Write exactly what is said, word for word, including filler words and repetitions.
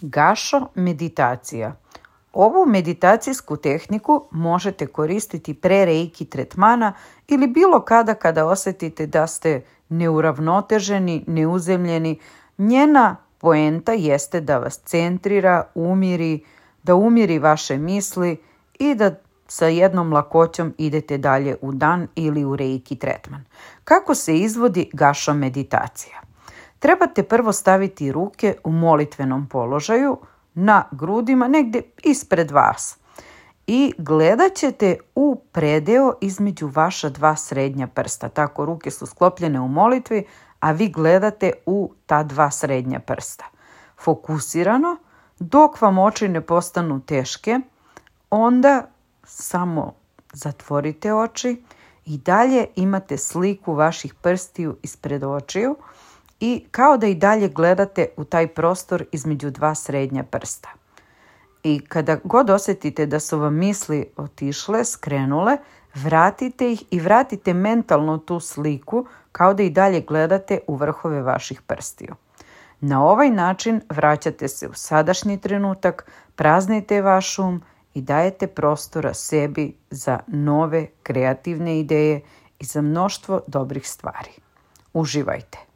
Gašo meditacija. Ovu meditacijsku tehniku možete koristiti pre reiki tretmana ili bilo kada kada osjetite da ste neuravnoteženi, neuzemljeni. Njena poenta jeste da vas centrira, umiri, da umiri vaše misli i da sa jednom lakoćom idete dalje u dan ili u reiki tretman. Kako se izvodi gašo meditacija? Trebate prvo staviti ruke u molitvenom položaju na grudima, negdje ispred vas. I gledat ćete u predeo između vaša dva srednja prsta. Tako, ruke su sklopljene u molitvi, a vi gledate u ta dva srednja prsta. Fokusirano, dok vam oči ne postanu teške, onda samo zatvorite oči i dalje imate sliku vaših prstiju ispred očiju i kao da i dalje gledate u taj prostor između dva srednja prsta. I kada god osjetite da su vam misli otišle, skrenule, vratite ih i vratite mentalno tu sliku kao da i dalje gledate u vrhove vaših prstiju. Na ovaj način vraćate se u sadašnji trenutak, praznite vaš um i dajete prostora sebi za nove kreativne ideje i za mnoštvo dobrih stvari. Uživajte!